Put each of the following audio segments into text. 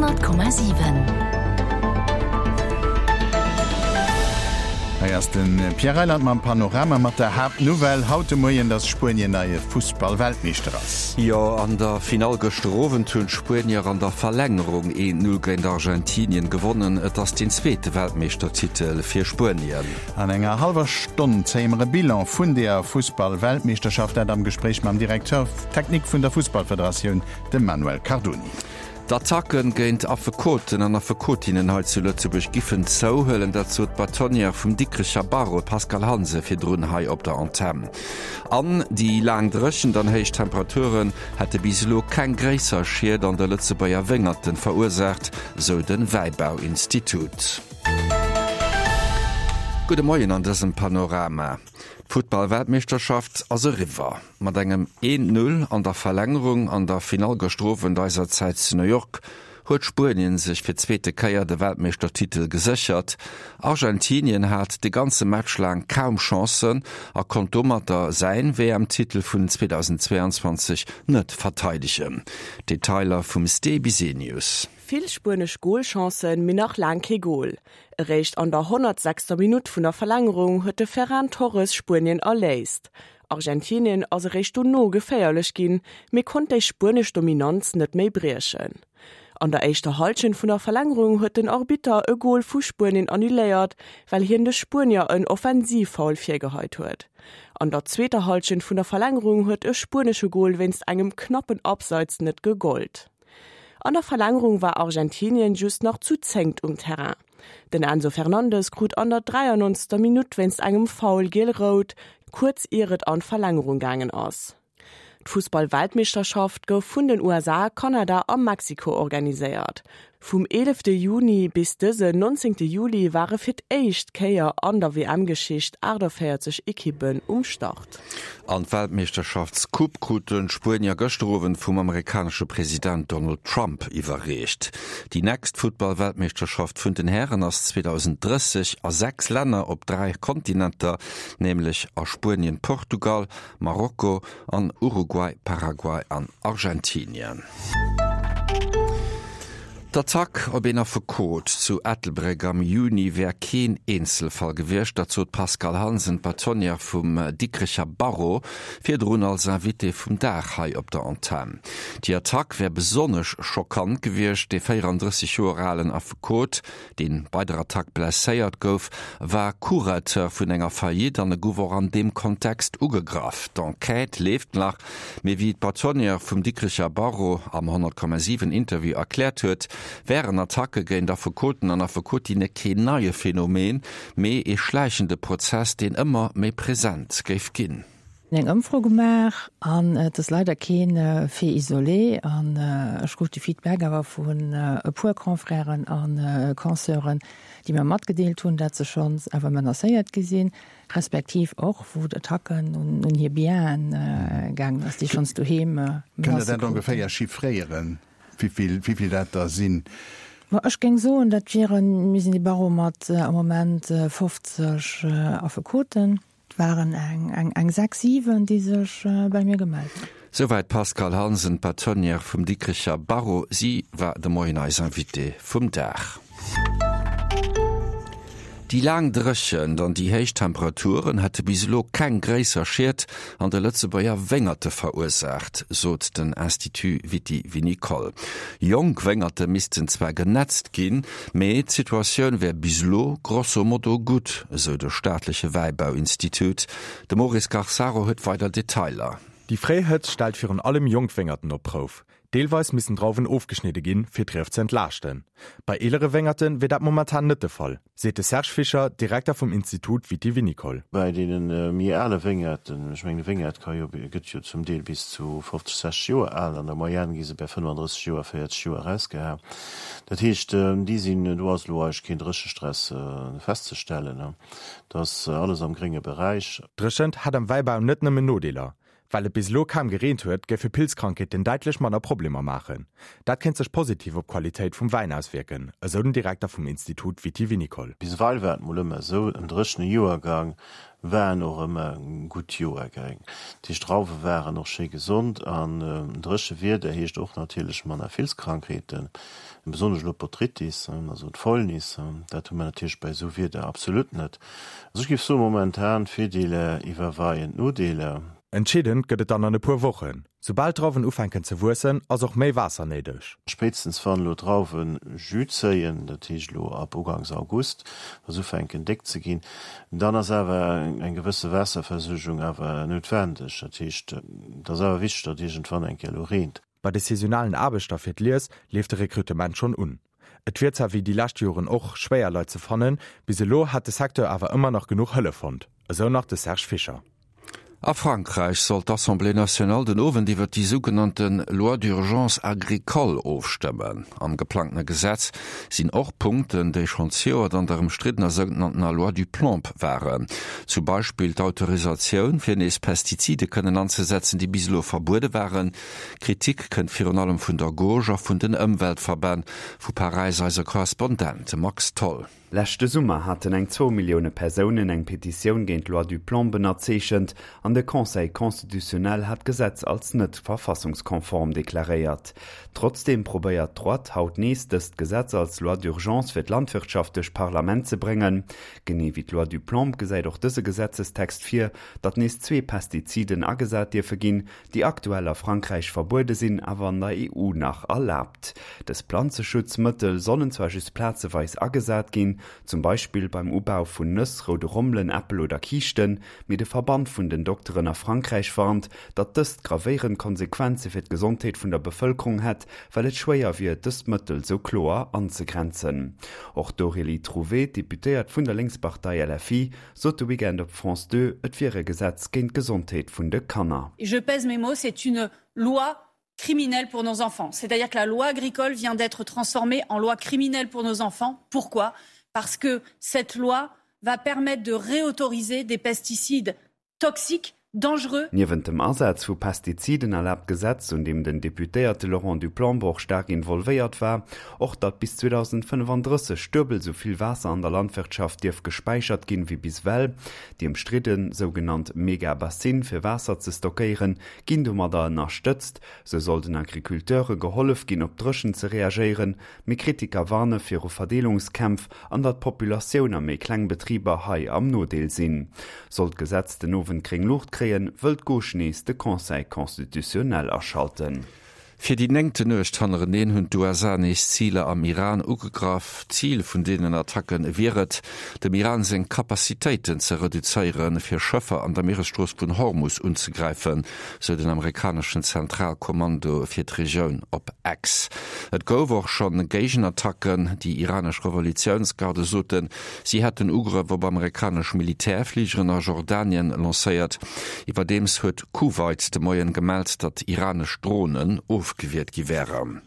100,7. Hei ass de Pierre Reyland mam Panorama mat der Haaptnouvelle haut de Moien, dass Spuenien neie Fussballweltmeeschter ass. Jo, an der Finall gëschter Owend hunn d'Spuenier an der Verlängerung 1, 0 géint Argentinien gewonnen. Et ass deen zweete Weltmeeschtertitel fir Spuenien. An enger hallwer Stonn zéie mer e Bilan vun deeër Fussballweltmeeschterschaft, dat am Gespréich mam Directeur technique vun der Fussballfederatioun, dem Manuel Cardoni. D'Attacken géint Affekoten an Affekotinnen hei zu Lëtzebuerg giffen zouhuelen, dat sot d'Bâtonnière vum Dikrecher Barreau, d'Pascale Hansen, virdrun hei op der Antenn. An déi laang Dréchent an héich Temperaturen hätte bis elo keng gréisser Schied an de Lëtzebuerger Wéngerten verursaacht, sou de Wäibauinstitut. Gudde Moien an dësem Panorama. D'Futtball-Weltmeeschterschaft ass eriwwer. Mat engem 1, 0 an der Verlängerung an der Finall gëschter Owend eiser Zäit zu New York huet Spuenien sech fir d'zweete Kéier de Weltmeeschtertitel geséchert. Argentinien hat de ganze Match laang kaum Chancen a konnt domatter säin WM-Titel vun 2022 net verteidegen. Detailer vum Ste Bisenius. Vill spuenesch Golchancen, mee nach laang kee Gol. Eréischt an der 106. Minutt vun der Verlängerung huet de Ferran Torres Spuenien erléist. Argentinien ass eréischt dono geféierlech ginn, mee konnt déi spuenesch Dominanz net méi briechen. An der éischter Hallschent vun der Verlängerung huet den Arbitter e Gol vu Spuenien annuléiert, well hien de Spuenier en Offensivfoul virgeheit huet. An der zweeter Hallschent vun der Verlängerung huet e spuenesche Gol wéinst engem knappen Abseits net gegollt. An der Verlängerung war Argentinien just nach zu zéngt um Terrain. Den Enzo Fernandes krut an der 93. Minutt wéinst engem Foul giel-rout, kuerz ier et an d'Verlängerung gaangen ass. D'Fussball-Weltmeeschterschaft gouf vun den USA, Kanada a Mexiko organiséiert. Vum 11 Juni bis dësen 19 Juli ware fir d'éischt Kéier an der WM-Geschicht 48 Ekippen um Start. An d'Weltmeeschterschaftscoupe kruten d'Spuenier gëschter Owend vum amerikanesche President Donald Trump iwwerreecht. Déi nächst Futtball-Weltmeeschterschaft vun den Hären ass 2030 a 6 Länner op 3 Kontinenter, nämlech a Spuenien, Portugal, Marokko an Uruguay, Paraguay an Argentinien. D'Attack op een Affekot zu Ettelbréck am Juni wär keen Eenzelfall gewiescht, dat sot d'Pascale Hansen, d'Bâtonnière vum Dikrecher Barreau, virdrun als Invitée vum Dag hei op der Antenn. Déi Attack wär besonnesch schockant gewiescht. Dee 34 Joer alen Affekot deen bei der Attack blesséiert gouf, war Curateur vun enger Faillite an e gouf och an deem Kontext ugegraff. D'Enquête leeft nach, mee wéi d'Bâtonnière vum Dikrecher Barreau am 100,7 Interview erkläert huet, wären Attacke géint Affekoten an Affekotinne keen neie Phänomen, mee ee schläichende Prozess, deen ëmmer méi present géif ginn. Eng Ëmfro gemaach an et ass leider keen Fait isolé an ech krut de Feedback awer vun e puer Confrèren a Consœuren, déi mer matgedeelt hunn, dat se schonns awer menacéiert gi sinn, respektiv och wou d'Attacken un hir Bienen gaangen ass, déi schonns doheem Kënnt Der Menacë dat kruten. ongeféier chiffréieren, wéivill, wéivill dat der sinn? Ma ech géing soen, dat wieren, mir sinn e Barreau mat am Moment 50 Affekoten. Et waren eng 6, 7, déi sech bei mir gemellt hunn. Souwäit d'Pascale Hansen, d'Bâtonnière vum Dikrecher Barreau. Si war de Moien eis Invitée vum Dag. Déi laang Dréchent an déi héich Temperaturen hätte bis elo keng gréisser Schied an de Lëtzebuerger Wéngerte verursaacht, sot den Institut Viti-Vinicole. Jonk Wéngerte missten zwar genetzt ginn, Mee d'Situatioun wär bis elo grosso modo gutt, esou de staatleche Wäibauinstitut. De Maurice Garsaro huet weider Detailer. Déi fréi Hëtzt stellt virun allem jonk Wéngerten op d'Prouf. Deelweis missten Drauwen ofgeschnidde ginn, fir d'Rief ze entlaaschten. Bei eelere Wéngerte wier dat momentan net de Fall. Seet de Serge Fischer, Direkter vum Institut Viti-Vinicole. Bei deene méi ale Wéngerten, ech mengen e Wéngert ka jo, gëtt jo zum Deel bis zu 50, 60 Joer al, an der Moyenne gi se bei 35 Joer, 40 Joer erausgeha. Dat heescht, déi sinn, do ass elo eigentlech keen Dréchestress festzestellen, dat ass alles am grénge Beräich. Dréchent hätt am Wäibau net nëmmen Nodeeler. Well et bis elo kaum gereent huet, géife Pilzkrankheeten däitlech manner Problemer maachen. Dat kéint sech positiv op d'Qualitéit vum Wäin auswierken, esou den Direkter vum Institut Viti-Vinicole. Bis ewell war et mol ëmmer esou, en dréchene Joergang waren och ëmmer gutt Joergäng. Dat heescht, d'Drauwe waren och schéi gesond an dréche Wieder heescht och natierlech manner Filzkrankheeten, besonnesch elo d'Botrytis, also d'Fäulnis, dat hu mer natierlech bei esou Wieder absolut net. Also ech géif soen, momentan d'Virdeeler iwwerweien d'Nodeeler. Entscheedend gëtt et dann an e puer Wochen. Soubal d'Drauwen ufänken ze wuessen, ass och méi Waasser néideg. Spéitstens wann elo d'Drauwe Jus zéien, dat heescht elo ab ugangs August, wa se ufänken déck ze ginn, dann ass awer eng gewësse Waasserversuergung awer noutwendeg. Dat heescht, et ass awer wichteg, datt iergendwann eng Kéier elo reent. Bei de saisonalen Aarbechter fir d'Lies leeft de Rekrutement schonn un. Et wier zwar wéi déi lescht Joren och schwéier Leit ze fannen, bis elo hätt de Secteur awer ëmmer nach genuch Hëllef fonnt, esou nach de Serge Fischer. A Frankräich soll d'Assemblée nationale den Owend iwwer déi sougenannte Loi d'urgence agricole ofstëmmen. Am geplangtene Gesetz sinn och Punkten, déi schonn zejoert an der ëmstriddener sougenanntener Loi Duplomb waren. Zum Beispill d'Autorisatioun, fir nees Pestizide kënnen anzesetzen, déi bis elo verbuede waren. Kritik kënnt virun allem vun der Gauche a vun den Ëmweltverbänn. Vu Paräis eise Korrespondent Max Tholl. Leschte Summer haten eng zwou Millioune Persounen eng Petitioun géint d'Loi Duplomb ënnerzeechent an de Conseil constitutionnel hat d'Gesetz als net verfassungskonform deklaréiert. Trotzdeem probéiert d'Droite haut nees dëst Gesetz als Loi d'urgence fir d'Landwirtschaft duerch d'Parlament ze bréngen. Genee wéi d'Loi Duplomb gesäit och dëse Gesetzestext vir, datt nees zwee Pestiziden agesat dierfe ginn, déi aktuell a Frankräich verbuede sinn, awer an der EU nach erlaabt. Dës Planzeschutzmëttel sollen zwar just plazeweis agesat ginn, zum Beispill beim Ubau vun Nëss, roude Rommelen, Äppel oder Kiischten, mee de Verband vun den Dokteren a Frankräich warnt, datt dëst gravéierend Konsequenze fir d'Gesondheet vun der Bevëlkerung hätt, well et schwéier wier, dës Mëttel sou kloer anzegrenzen. Och d'Aurélie Trouvé, Deputéiert vun der Lénkspartei LFI, sot de Weekend op France 2, et wier e Gesetz géint d'Gesondheet vun de Kanner. Et je pèse mes mots, c'est une loi criminelle pour nos enfants. C'est-à-dire que la loi agricole vient d'être transformée en loi criminelle pour nos enfants. Pourquoi Parce que cette loi va permettre de réautoriser des pesticides toxiques dangereux. Niewent dem Asaz vu Pestiziden erlaabt d'Gesetz, un deem den Deputéierte Laurent Duplomb och staark involvéiert war, och datt bis 2035 duebel esou vill Waasser an der Landwirtschaft dierf gespäichert ginn, wéi bis ewell. Déi ëmstridde sougenannt Mega-Bassine fir Waasser ze stockéieren, ginn domadder ënnerstëtzt. Sou soll den Agriculteure gehollef ginn, op d'Dréchent ze reagéieren. Mee Kritiker warne viru Verdeelungskämpf an datt d'Populatioun a méi kleng Betriber hei am Nodeel sinn. Sollt d'Gesetz den Owend gréng Luucht kréien, wëll d'Gauche nees de Conseil constitutionnel aschalten. Fir déi néngte Nuecht hannereneen hunn d'USA nees Ziler am Iran ugegraff. Zil vun deenen Attacke wier et, dem Iran seng Capacitéiten ze reduzéieren, fir Schëffer an der Mieresstrooss vun Hormus unzegräifen, sou den amerikaneschen Zentralkommando fir d'Regioun op X. Et gouf och schonn Géigenattacken. Déi iranesch Revolutiounsgarde soten, si hätten Ugrëff op amerikanesch Militärfligeren a Jordanien lancéiert. Iwwerdeems huet Kuwait de Moien gemellt, datt iranesch Dronen ofgewiert gi wären.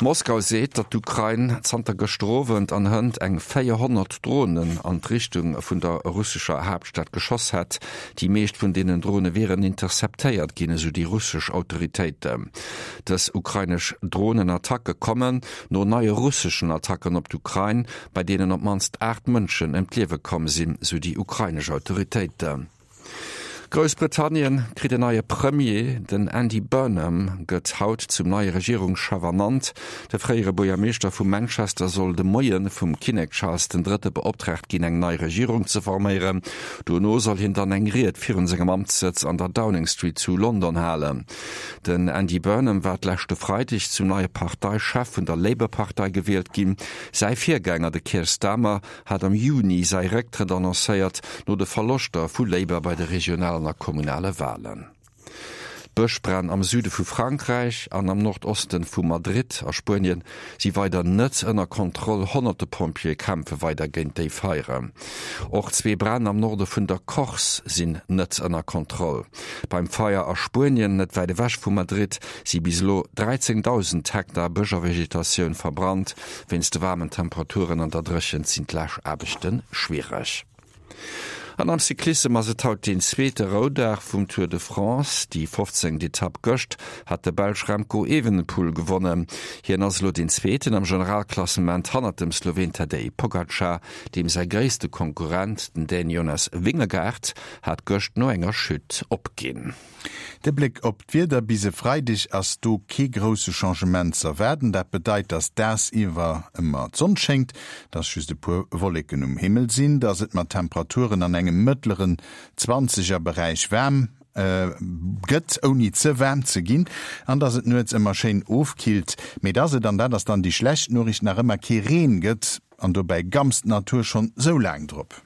Moskau seet, datt d'Ukrain zanter gëschter Owend an hënt eng 400 Dronen an d'Richtung vun der russescher Haaptstad geschoss hätt. Déi meescht vun deenen Drone wieren interceptéiert ginn, esou déi russesch Autoritéiten. Dës ukrainesch Dronenattacke kommen no neie russeschen Attacken op d'Ukrain, bei deenen op d'mannst 8 Mënschen ëm d'Liewe komm sinn, esou déi ukrainesch Autoritéiten. Groussbritannien kritt en neie Premier. Den Andy Burnham gëtt haut zum neie Regierungschef ernannt. De fréiere Buergermeeschter vu Manchester soll de Moie vum Kinnek Charles den Drëtte beoptraagt ginn, eng nei Regierung ze forméieren. Dono soll hien dann eng Ried virun sengem Amtssëtz an der Downing Street zu London halen. Den Andy Burnham war d'leschte Freideg zum neie Parteichef vun der Labour-Partei gewielt ginn. Säi Virgänger, de Keir Starmer, hat am Juni säi Récktrëtt annoncéiert, no de Verloschter vu Labour bei de regionalen a kommunale Walen. D'Bëschbränn am Süde vu Frankräich an am Nordoste vu Madrid a Spuenien si weider net ënner Kontroll. Honnerte Pompjeeë kämpfe weider géint déi Feieren. Och zwee Bränn am Norde vun der Corse sinn net ënner Kontroll. Beim Feier a Spuenien, net wäit ewech vu Madrid, si bis elo 13.000 Hektar Bësch a Vegetatioun verbrannt. Wéinst de waarmen Temperaturen an der Dréchent sinn d'Läschaarbechte schwiereg. An am Cyclissem ass et haut deen zweete Roudag vum Tour de France. Déi 15. Etapp gëscht hat de Belsch Remco Evenepoel gewonnen. Hien ass elo deen Zweeten am Generalklassement hannert dem Sloween Tadej Pogacar. Deem säi gréisste Konkurrent, den Dän Jonas Vingegaard, hat gëscht no enger Chute opginn. De Bléck op d'Wieder, Bis e Freideg ass do kee grousse Changement z'erwaarden. Dat bedeit, dass dagsiwwer ëmmer d'Sonn schéngt, dass just e puer Wolleken um Himmel sinn, dass et mat Temperaturen an engem mëttleren Zwanzegerberäich waarm gëtt, ouni ze waarm ze ginn, an dass et nuets ëmmer schéin ofkillt, mee dass et, an dat ass dann déi schlecht Noriicht, nach ëmmer kee Reen gëtt. An dobäi gamst d'Natur schonn sou laang drop.